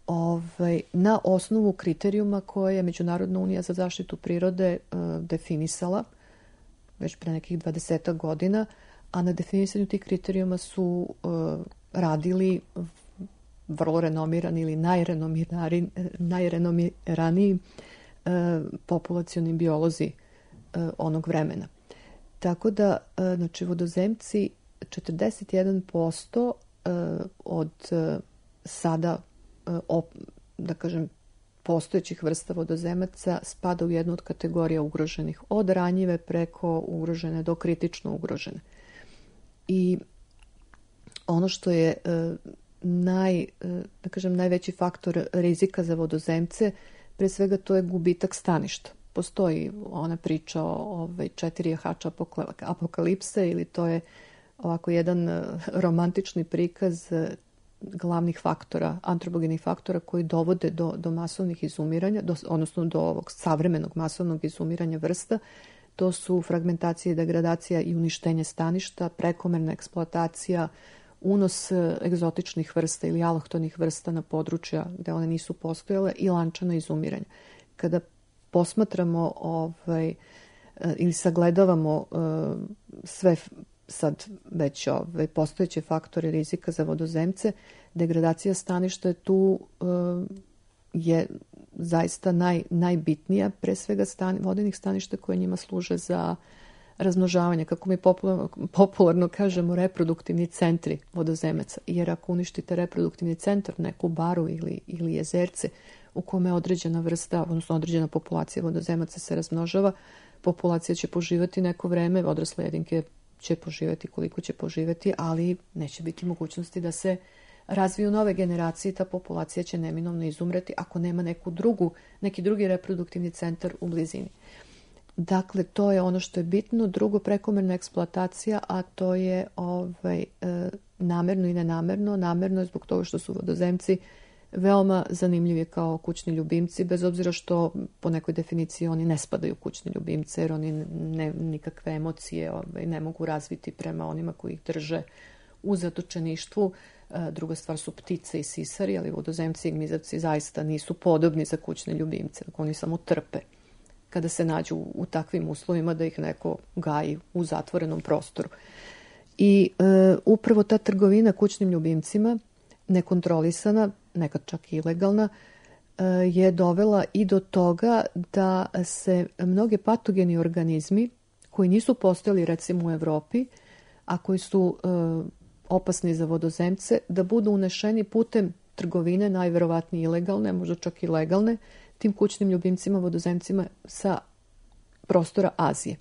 Ovaj, na osnovu kriterijuma koje je Međunarodna unija za zaštitu prirode uh, definisala već pre nekih dvadesetak godina, a na definisanju tih kriterijuma su uh, radili vrlo renomirani ili najrenomirani, najrenomiraniji uh, populacioni biolozi uh, onog vremena. Tako da, uh, znači, vodozemci četrdeset jedan posto uh, od uh, sada Op, da kažem, postojećih vrsta vodozemaca spada u jednu od kategorija ugroženih, od ranjive preko ugrožene do kritično ugrožene. I ono što je naj, da kažem, najveći faktor rizika za vodozemce, pre svega to je gubitak staništa. Postoji ona priča o ovaj, četiri jahača apokalipse, ili to je ovako jedan romantični prikaz glavnih faktora, antropogenih faktora koji dovode do, do masovnih izumiranja, do, odnosno do ovog savremenog masovnog izumiranja vrsta. To su fragmentacija, degradacija i uništenje staništa, prekomerna eksploatacija, unos egzotičnih vrsta ili alohtonih vrsta na područja gde one nisu postojale i lančano izumiranje. Kada posmatramo ovaj, ili sagledavamo uh, sve sad već ove postojeće faktore rizika za vodozemce, degradacija staništa je tu uh, je zaista naj, najbitnija, pre svega stan, vodenih staništa koje njima služe za razmnožavanje, kako mi popularno, popularno kažemo, reproduktivni centri vodozemaca. Jer ako uništite reproduktivni centar, neku baru ili, ili jezerce u kome određena vrsta, odnosno određena populacija vodozemaca se razmnožava, populacija će poživati neko vreme, odrasle jedinke će poživjeti koliko će poživjeti, ali neće biti mogućnosti da se razviju nove generacije i ta populacija će neminovno izumreti ako nema neku drugu, neki drugi reproduktivni centar u blizini. Dakle, to je ono što je bitno. Drugo, prekomerna eksploatacija, a to je ovaj, e, namerno i nenamerno. Namerno je zbog toga što su vodozemci veoma zanimljivi kao kućni ljubimci, bez obzira što po nekoj definiciji oni ne spadaju u kućni ljubimce, jer oni ne, nikakve emocije ovaj, ne mogu razviti prema onima koji ih drže u zatočeništvu. E, druga stvar su ptice i sisari, ali vodozemci i gmizavci zaista nisu podobni za kućne ljubimce. Oni samo trpe kada se nađu u takvim uslovima da ih neko gaji u zatvorenom prostoru. I e, upravo ta trgovina kućnim ljubimcima, nekontrolisana, nekad čak i ilegalna, e, je dovela i do toga da se mnoge patogeni organizmi koji nisu postojali recimo u Evropi, a koji su e, opasni za vodozemce, da budu unešeni putem trgovine, najverovatnije ilegalne, možda čak i legalne, tim kućnim ljubimcima, vodozemcima sa prostora Azije.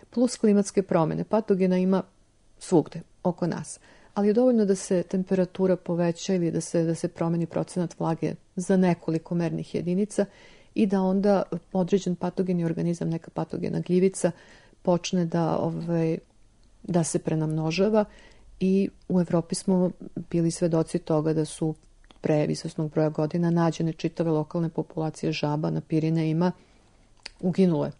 Plus klimatske promjene. Patogena ima svugde oko nas. Ali je dovoljno da se temperatura poveća ili da se, da se promeni procenat vlage za nekoliko mernih jedinica i da onda određen patogeni organizam, neka patogena gljivica, počne da, ovaj, da se prenamnožava i u Evropi smo bili svedoci toga da su pre izvesnog broja godina nađene čitave lokalne populacije žaba na Pirinejima uginule.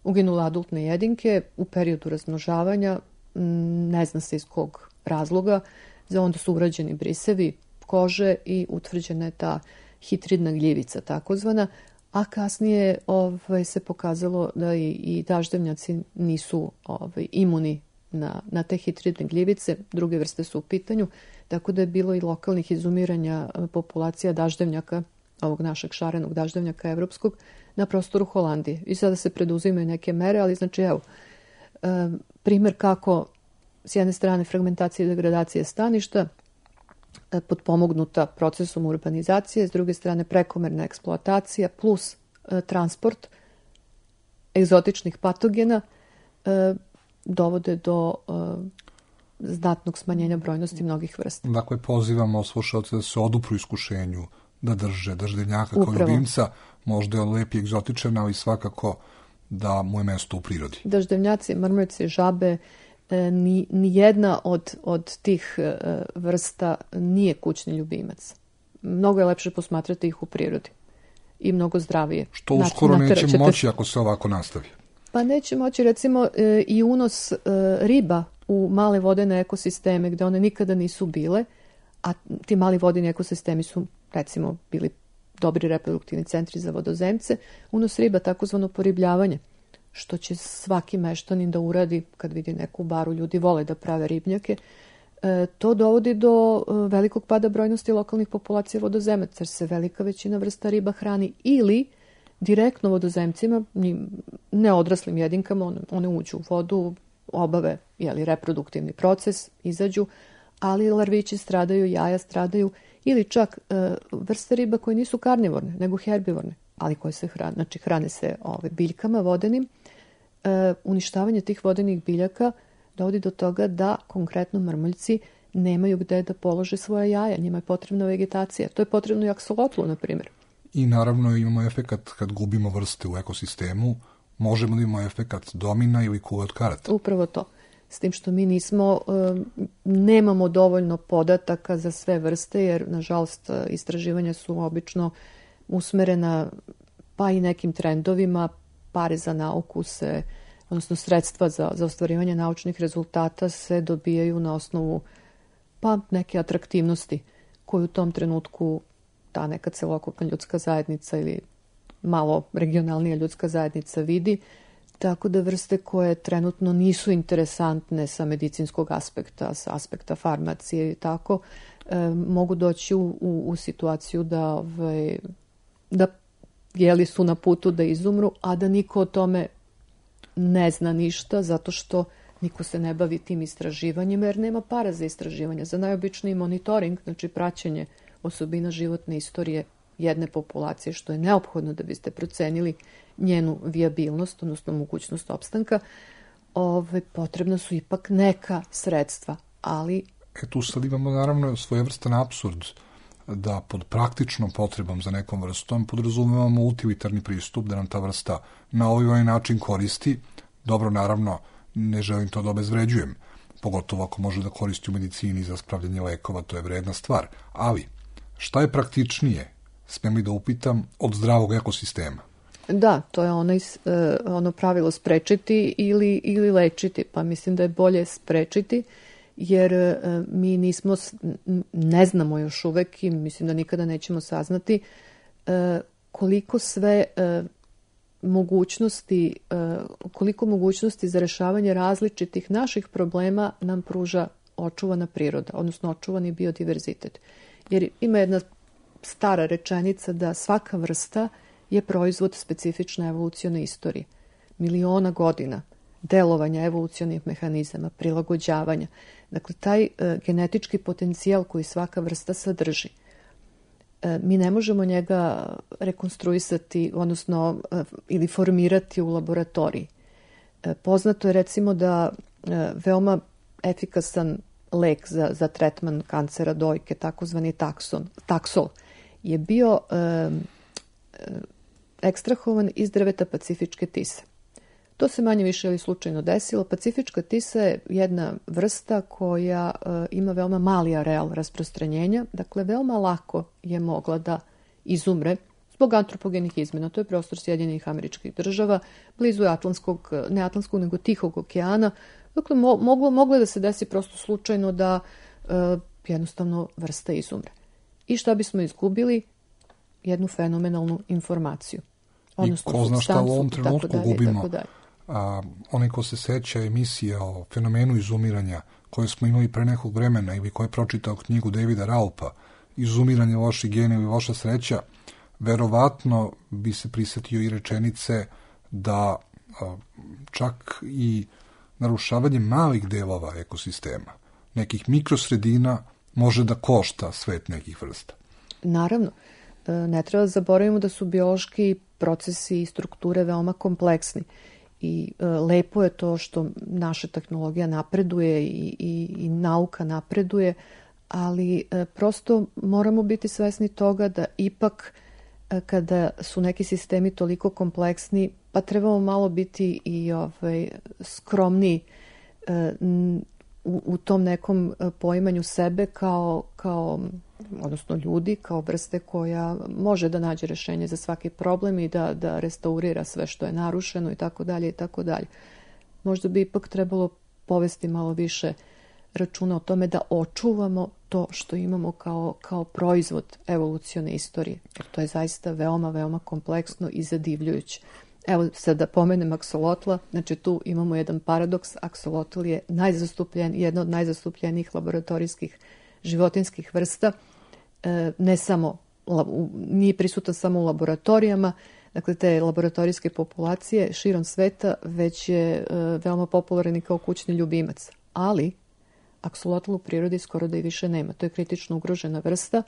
Uginule adultne jedinke u periodu razmnožavanja, ne zna se iz kog razloga, za onda su urađeni brisevi kože i utvrđena je ta hitridna gljivica takozvana, a kasnije ovaj, se pokazalo da i, i daždevnjaci nisu ovaj, imuni na, na te hitridne gljivice, druge vrste su u pitanju, tako da je bilo i lokalnih izumiranja populacija daždevnjaka, ovog našeg šarenog daždevnjaka evropskog, na prostoru Holandije. I sada se preduzimaju neke mere, ali znači evo, e, primjer kako s jedne strane fragmentacija i degradacija staništa, e, potpomognuta procesom urbanizacije, s druge strane prekomerna eksploatacija plus e, transport egzotičnih patogena e, dovode do e, znatnog smanjenja brojnosti mnogih vrsta. Dakle, pozivamo slušalce da se odupru iskušenju da drže daždevnjaka kao ljubimca, možda je lepi egzotičan, ali svakako da mu je mesto u prirodi. Daždevnjaci, mrmurice, žabe, ni, ni jedna od, od tih vrsta nije kućni ljubimac. Mnogo je lepše posmatrati ih u prirodi i mnogo zdravije. Što uskoro neće moći ako se ovako nastavi. Pa neće moći, recimo, i unos riba u male vodene ekosisteme gde one nikada nisu bile, a ti mali vodeni ekosistemi su, recimo, bili dobri reproduktivni centri za vodozemce, unos riba, takozvano poribljavanje, što će svaki meštanin da uradi kad vidi neku baru, ljudi vole da prave ribnjake, e, to dovodi do e, velikog pada brojnosti lokalnih populacija vodozemaca, jer se velika većina vrsta riba hrani ili direktno vodozemcima, neodraslim jedinkama, one, one uđu u vodu, obave jeli, reproduktivni proces, izađu, ali larvići stradaju, jaja stradaju, ili čak e, vrste riba koje nisu karnivorne, nego herbivorne, ali koje se hrane, znači hrane se ove, biljkama vodenim. E, uništavanje tih vodenih biljaka dovodi do toga da konkretno mrmoljci nemaju gde da polože svoja jaja, njima je potrebna vegetacija. To je potrebno i aksolotlu, na primjer. I naravno imamo efekat kad gubimo vrste u ekosistemu, možemo da imamo efekat domina ili kule od karata. Upravo to. S tim što mi nismo, nemamo dovoljno podataka za sve vrste, jer, nažalost, istraživanja su obično usmerena pa i nekim trendovima, pare za nauku se, odnosno sredstva za, za ostvarivanje naučnih rezultata se dobijaju na osnovu pa neke atraktivnosti koju u tom trenutku ta neka celokupna ljudska zajednica ili malo regionalnija ljudska zajednica vidi, tako da vrste koje trenutno nisu interesantne sa medicinskog aspekta, sa aspekta farmacije i tako, e, mogu doći u, u, u situaciju da, ove, da jeli su na putu da izumru, a da niko o tome ne zna ništa, zato što niko se ne bavi tim istraživanjem, jer nema para za istraživanje. Za najobičniji monitoring, znači praćenje osobina životne istorije jedne populacije, što je neophodno da biste procenili njenu vijabilnost, odnosno mogućnost opstanka, ove, potrebna su ipak neka sredstva, ali... E tu sad imamo naravno svojevrstan apsurd da pod praktičnom potrebom za nekom vrstom podrazumevamo utilitarni pristup, da nam ta vrsta na ovaj način koristi. Dobro, naravno, ne želim to da obezvređujem, pogotovo ako može da koristi u medicini za spravljanje lekova, to je vredna stvar. Ali, šta je praktičnije, smijem li da upitam, od zdravog ekosistema? Da, to je onaj, ono pravilo sprečiti ili, ili lečiti, pa mislim da je bolje sprečiti, jer mi nismo, ne znamo još uvek i mislim da nikada nećemo saznati koliko sve mogućnosti, koliko mogućnosti za rešavanje različitih naših problema nam pruža očuvana priroda, odnosno očuvani biodiverzitet. Jer ima jedna stara rečenica da svaka vrsta je proizvod specifične evolucione istorije. Miliona godina delovanja evolucionih mehanizama, prilagođavanja. Dakle, taj e, genetički potencijal koji svaka vrsta sadrži, e, mi ne možemo njega rekonstruisati, odnosno e, ili formirati u laboratoriji. E, poznato je recimo da e, veoma efikasan lek za, za tretman kancera dojke, takozvani takson, taksol, je bio e, e, ekstrahovan iz drveta pacifičke tise. To se manje više ili slučajno desilo. Pacifička tisa je jedna vrsta koja e, ima veoma mali areal rasprostranjenja, dakle veoma lako je mogla da izumre zbog antropogenih izmena. To je prostor Sjedinjenih Američkih Država, blizu je Atlantskog, ne Atlantskog, nego Tihog okeana. Dakle, mo, moglo, moglo je da se desi prosto slučajno da e, jednostavno vrsta izumre. I šta bismo izgubili? Jednu fenomenalnu informaciju. Odnosno, I ko zna šta u ovom trenutku dalje, gubimo. A, onaj ko se seća emisija o fenomenu izumiranja koje smo imali pre nekog vremena ili ko je pročitao knjigu Davida Raupa, Izumiranje loših gena ili loša sreća, verovatno bi se prisetio i rečenice da a, čak i narušavanje malih delova ekosistema, nekih mikrosredina, može da košta svet nekih vrsta. Naravno. Ne treba zaboravimo da su biološki procesi i strukture veoma kompleksni. I e, lepo je to što naša tehnologija napreduje i, i, i nauka napreduje, ali e, prosto moramo biti svesni toga da ipak e, kada su neki sistemi toliko kompleksni, pa trebamo malo biti i ovaj, skromniji e, u, u tom nekom poimanju sebe kao, kao, odnosno ljudi, kao vrste koja može da nađe rešenje za svaki problem i da, da restaurira sve što je narušeno i tako dalje i tako dalje. Možda bi ipak trebalo povesti malo više računa o tome da očuvamo to što imamo kao, kao proizvod evolucione istorije. Jer to je zaista veoma, veoma kompleksno i zadivljujuće. Evo sad da pomenem aksolotla, znači tu imamo jedan paradoks. Aksolotl je najzastupljen, jedna od najzastupljenijih laboratorijskih životinskih vrsta. E, ne samo, nije prisutan samo u laboratorijama, dakle te laboratorijske populacije širom sveta, već je e, veoma popularan i kao kućni ljubimac. Ali aksolotl u prirodi skoro da i više nema. To je kritično ugrožena vrsta.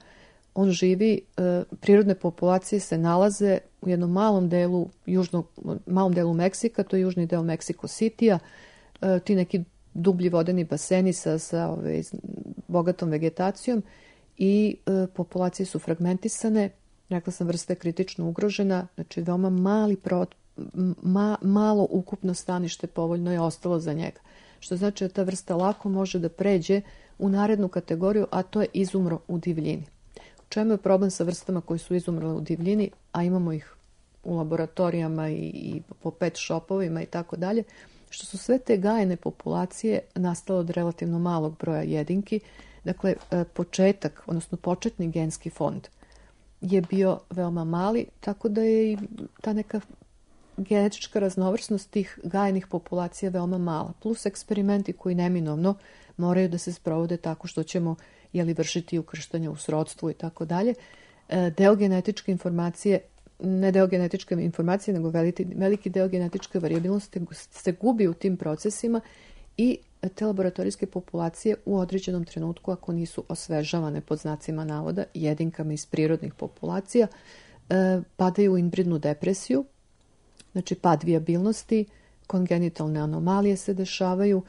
On živi, e, prirodne populacije se nalaze u jednom malom delu, južnog, malom delu Meksika, to je južni deo Meksiko Citya, e, ti neki dublji vodeni baseni sa, sa ove, bogatom vegetacijom i e, populacije su fragmentisane. Rekla sam, vrsta je kritično ugrožena, znači veoma mali pro, ma, malo ukupno stanište povoljno je ostalo za njega. Što znači da ta vrsta lako može da pređe u narednu kategoriju, a to je izumro u divljini. U čemu je problem sa vrstama koji su izumrle u divljini, a imamo ih u laboratorijama i, i po pet shopovima i tako dalje, što su sve te gajene populacije nastale od relativno malog broja jedinki. Dakle, početak, odnosno početni genski fond je bio veoma mali, tako da je i ta neka genetička raznovrsnost tih gajenih populacija veoma mala. Plus eksperimenti koji neminovno moraju da se sprovode tako što ćemo jeli, vršiti ukrštanje u srodstvu i tako dalje. Deo genetičke informacije, ne deo genetičke informacije, nego veliki, veliki deo genetičke variabilnosti se gubi u tim procesima i te laboratorijske populacije u određenom trenutku, ako nisu osvežavane pod znacima navoda jedinkama iz prirodnih populacija, padaju u inbridnu depresiju, znači pad vijabilnosti, kongenitalne anomalije se dešavaju,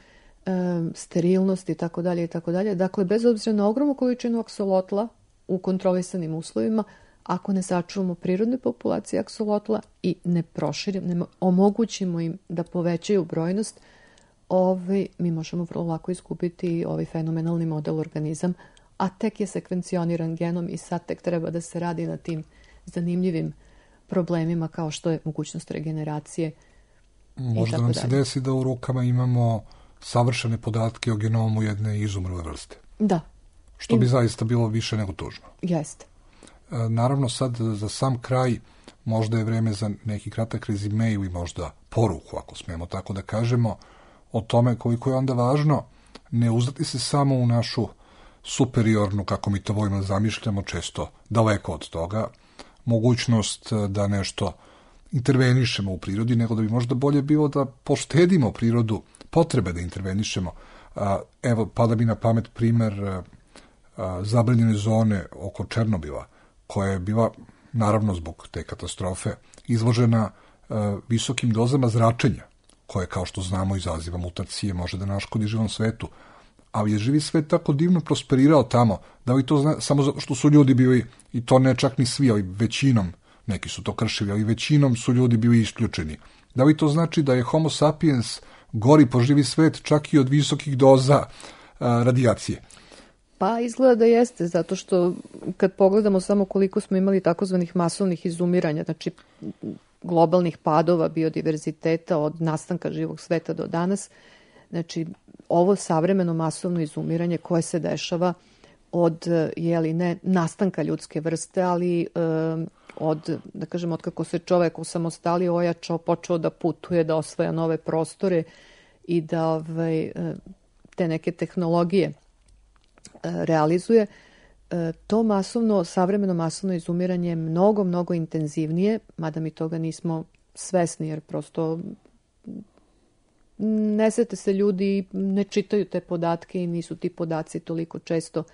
sterilnost i tako dalje i tako dalje. Dakle, bez obzira na ogromnu količinu aksolotla u kontrolisanim uslovima, ako ne sačuvamo prirodne populacije aksolotla i ne proširimo, ne omogućimo im da povećaju brojnost, ovaj, mi možemo vrlo lako izgubiti ovaj fenomenalni model organizam, a tek je sekvencioniran genom i sad tek treba da se radi na tim zanimljivim problemima kao što je mogućnost regeneracije. Možda nam se desi da u rukama imamo savršene podatke o genomu jedne izumrle vrste. Da. Što bi I... zaista bilo više nego tužno. Jeste. Naravno, sad za sam kraj možda je vreme za neki kratak rezime ili možda poruku, ako smemo tako da kažemo, o tome koliko je onda važno ne uzdati se samo u našu superiornu, kako mi to volimo zamišljamo, često daleko od toga, mogućnost da nešto intervenišemo u prirodi, nego da bi možda bolje bilo da poštedimo prirodu potrebe da intervenišemo. Evo, pada mi na pamet primer zabranjene zone oko Černobila, koja je bila, naravno zbog te katastrofe, izložena visokim dozama zračenja, koje, kao što znamo, izaziva mutacije, može da naškodi živom svetu. Ali je živi svet tako divno prosperirao tamo, da li to zna, samo zato što su ljudi bili, i to ne čak ni svi, ali većinom neki su to kršili, ali većinom su ljudi bili isključeni. Da li to znači da je Homo sapiens gori po živi svet čak i od visokih doza a, radijacije? Pa izgleda da jeste, zato što kad pogledamo samo koliko smo imali takozvanih masovnih izumiranja, znači globalnih padova biodiverziteta od nastanka živog sveta do danas, znači ovo savremeno masovno izumiranje koje se dešava od, jeli ne, nastanka ljudske vrste, ali e, od, da kažem, od kako se čovek osamostalio, ojačao, počeo da putuje, da osvaja nove prostore i da ovaj, te neke tehnologije realizuje, to masovno, savremeno masovno izumiranje je mnogo, mnogo intenzivnije, mada mi toga nismo svesni, jer prosto ne sete se ljudi, ne čitaju te podatke i nisu ti podaci toliko često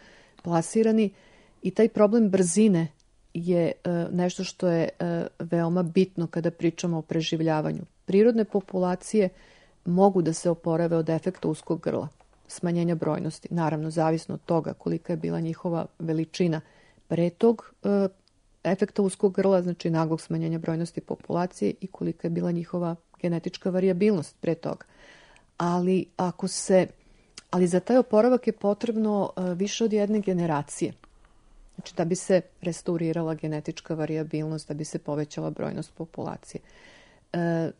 plasirani. I taj problem brzine je nešto što je veoma bitno kada pričamo o preživljavanju. Prirodne populacije mogu da se oporave od efekta uskog grla, smanjenja brojnosti. Naravno, zavisno od toga kolika je bila njihova veličina pre tog e, efekta uskog grla, znači naglog smanjenja brojnosti populacije, i kolika je bila njihova genetička varijabilnost pre toga. Ali, ako se, ali za taj oporavak je potrebno e, više od jedne generacije. Znači da bi se restaurirala genetička varijabilnost, da bi se povećala brojnost populacije. E,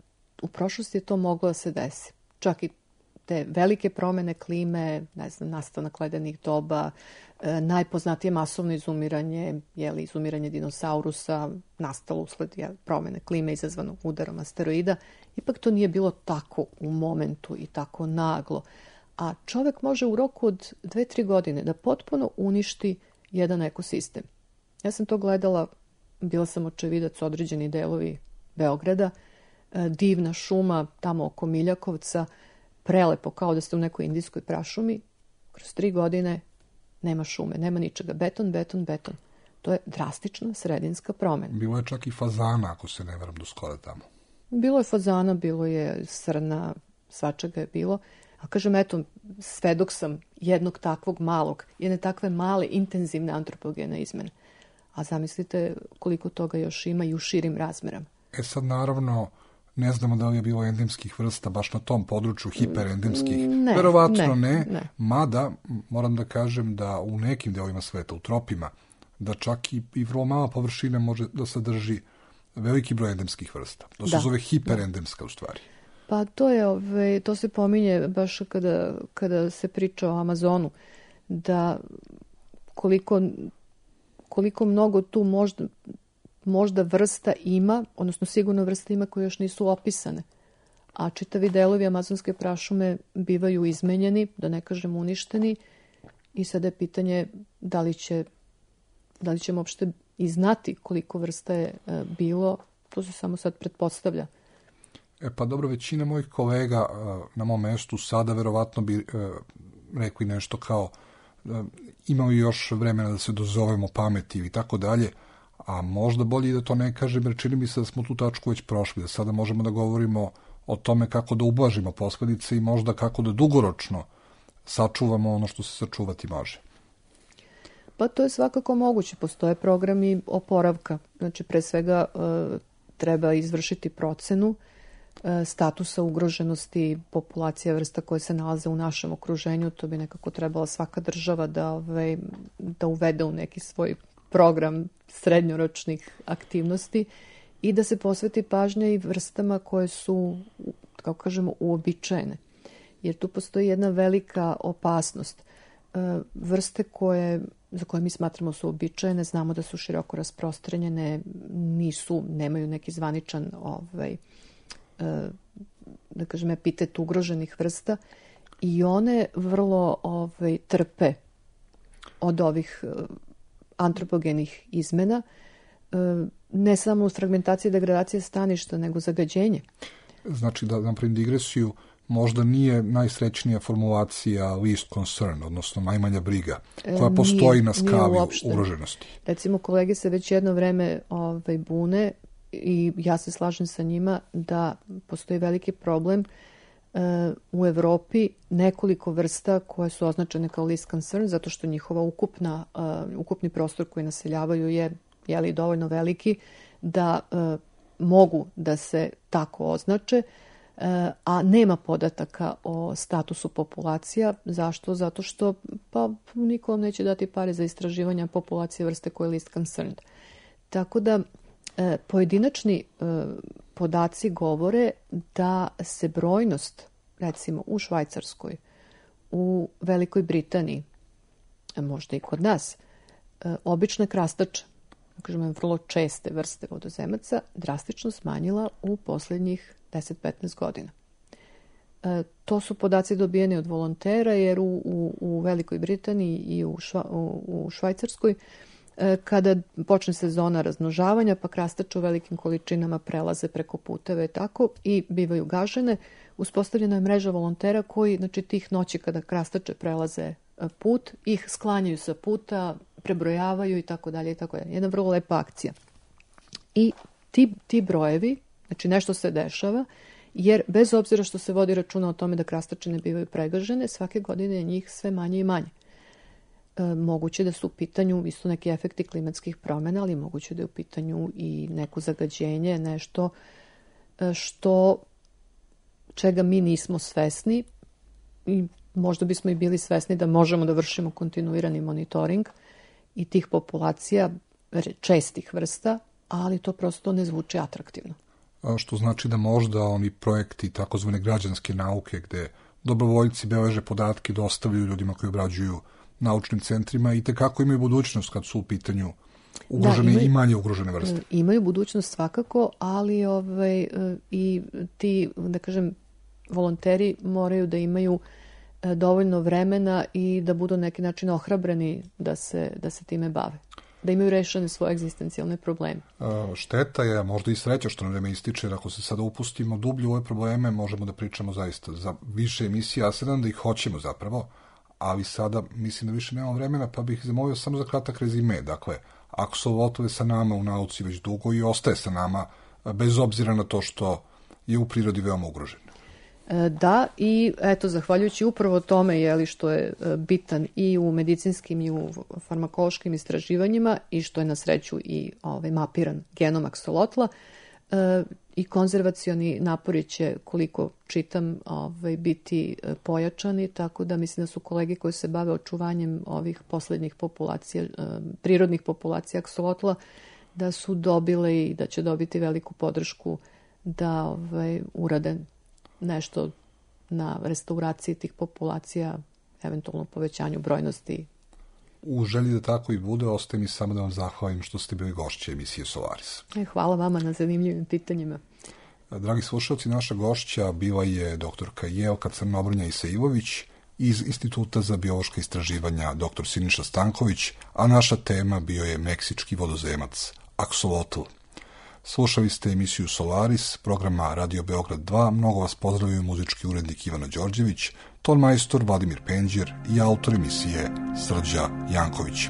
u prošlosti je to moglo da se desi. Čak i te velike promene klime, ne znam, nastanak ledenih doba, e, najpoznatije masovno izumiranje, jeli, izumiranje dinosaurusa, nastalo usled jeli, promene klime izazvano udarom asteroida, ipak to nije bilo tako u momentu i tako naglo. A čovek može u roku od dve, tri godine da potpuno uništi jedan ekosistem. Ja sam to gledala, bila sam očevidac određeni delovi Beograda, e, divna šuma tamo oko Miljakovca, prelepo, kao da ste u nekoj indijskoj prašumi, kroz tri godine nema šume, nema ničega. Beton, beton, beton. To je drastična sredinska promena. Bilo je čak i fazana, ako se ne varam, do skora tamo. Bilo je fazana, bilo je srna, svačega je bilo. A kažem, eto, svedok sam jednog takvog malog, jedne takve male, intenzivne antropogene izmene. A zamislite koliko toga još ima i u širim razmerama. E sad, naravno, ne znamo da li je bilo endemskih vrsta baš na tom području, hiperendemskih. Ne, Verovatno ne, ne, ne. Mada moram da kažem da u nekim delovima sveta, u tropima, da čak i, i vrlo mala površina može da sadrži veliki broj endemskih vrsta. To se Da. zove hiperendemska u stvari. Pa to je, ove, to se pominje baš kada, kada se priča o Amazonu, da koliko, koliko mnogo tu možda, možda vrsta ima, odnosno sigurno vrsta ima koje još nisu opisane. A čitavi delovi amazonske prašume bivaju izmenjeni, da ne kažem uništeni, i sada je pitanje da li će, da li ćemo uopšte i znati koliko vrsta je e, bilo, to se samo sad pretpostavlja. E pa dobro, većina mojih kolega uh, na mom mestu sada verovatno bi uh, rekli nešto kao uh, imao još vremena da se dozovemo pameti ili tako dalje, a možda bolje da to ne kažem, jer čini mi se da smo tu tačku već prošli, da sada možemo da govorimo o tome kako da ublažimo posledice i možda kako da dugoročno sačuvamo ono što se sačuvati može. Pa to je svakako moguće. Postoje programi oporavka. Znači, pre svega e, treba izvršiti procenu e, statusa ugroženosti populacija vrsta koje se nalaze u našem okruženju. To bi nekako trebala svaka država da, ove, da uvede u neki svoj program srednjoročnih aktivnosti i da se posveti pažnja i vrstama koje su, kako kažemo, uobičajene. Jer tu postoji jedna velika opasnost. E, vrste koje, za koje mi smatramo su uobičajene, znamo da su široko rasprostranjene, nisu, nemaju neki zvaničan ovaj, e, da kažem, epitet ugroženih vrsta i one vrlo ovaj, trpe od ovih antropogenih izmena, ne samo uz fragmentacije i degradacije staništa, nego zagađenje. Znači, da napravim digresiju, možda nije najsrećnija formulacija least concern, odnosno najmanja briga, koja Nije, postoji na nije skali uopšte. ugroženosti. Recimo, kolege se već jedno vreme ovaj, bune i ja se slažem sa njima da postoji veliki problem uh, u Evropi, nekoliko vrsta koje su označene kao least concern, zato što njihova ukupna, uh, ukupni prostor koji naseljavaju je jeli, dovoljno veliki da e, mogu da se tako označe, e, a nema podataka o statusu populacija. Zašto? Zato što pa niko vam neće dati pare za istraživanja populacije vrste koja je least concerned. Tako da e, pojedinačni e, podaci govore da se brojnost, recimo u Švajcarskoj, u Velikoj Britaniji, možda i kod nas, e, obične krastače, kažemo vrlo česte vrste vodozemaca, drastično smanjila u posljednjih deset do petnaest godina. E, to su podaci dobijeni od volontera, jer u, u, u Velikoj Britaniji i u, šva, u, u Švajcarskoj, e, kada počne sezona razmnožavanja, pa krastače u velikim količinama prelaze preko puteve tako i bivaju gažene, uspostavljena je mreža volontera koji, znači, tih noći kada krastače prelaze put, ih sklanjaju sa puta, prebrojavaju i tako dalje i tako dalje. Jedna vrlo lepa akcija. I ti, ti brojevi, znači nešto se dešava, jer bez obzira što se vodi računa o tome da krastače ne bivaju pregažene, svake godine je njih sve manje i manje. E, moguće da su u pitanju isto neki efekti klimatskih promjena, ali moguće da je u pitanju i neko zagađenje, nešto što čega mi nismo svesni i možda bismo i bili svesni da možemo da vršimo kontinuirani monitoring i tih populacija čestih vrsta, ali to prosto ne zvuči atraktivno. A što znači da možda oni projekti takozvane građanske nauke gde dobrovoljci beleže podatke i dostavljaju ljudima koji obrađuju naučnim centrima i tekako imaju budućnost kad su u pitanju ugrožene, da, imaju, i manje ugrožene vrste. Imaju budućnost svakako, ali ovaj, i ti, da kažem, volonteri moraju da imaju dovoljno vremena i da budu na neki način ohrabreni da se, da se time bave. Da imaju rešene svoje egzistencijalne probleme. Šteta je, možda i sreća što nam vreme ističe, jer ako se sada upustimo dublje u ove probleme, možemo da pričamo zaista za više emisija, a se nadam da ih hoćemo zapravo, ali sada mislim da više nemamo vremena, pa bih zamolio samo za kratak rezime. Dakle, aksolotl je sa nama u nauci već dugo i ostaje sa nama, bez obzira na to što je u prirodi veoma ugrožen. Da, i eto, zahvaljujući upravo tome, jeli, što je bitan i u medicinskim i u farmakološkim istraživanjima i što je na sreću i ovaj, mapiran genom aksolotla, i konzervacioni napori će, koliko čitam, ovaj, biti pojačani, tako da mislim da su kolege koji se bave očuvanjem ovih poslednjih populacija, prirodnih populacija aksolotla, da su dobile i da će dobiti veliku podršku da ovaj, urade nešto na restauraciji tih populacija, eventualno povećanju brojnosti. U želji da tako i bude, ostaje mi samo da vam zahvalim što ste bili gošće emisije Solaris. Hvala vama na zanimljivim pitanjima. Dragi slušalci, naša gošća bila je doktorka Jelka Crnobrnja Isailović iz Instituta za biološka istraživanja doktor Siniša Stanković, a naša tema bio je meksički vodozemac aksolotl. Slušali ste emisiju Solaris, programa Radio Beograd dva. Mnogo vas pozdravljaju muzički urednik Ivana Đorđević, ton majstor Vladimir Penđer i autor emisije Srđa Janković.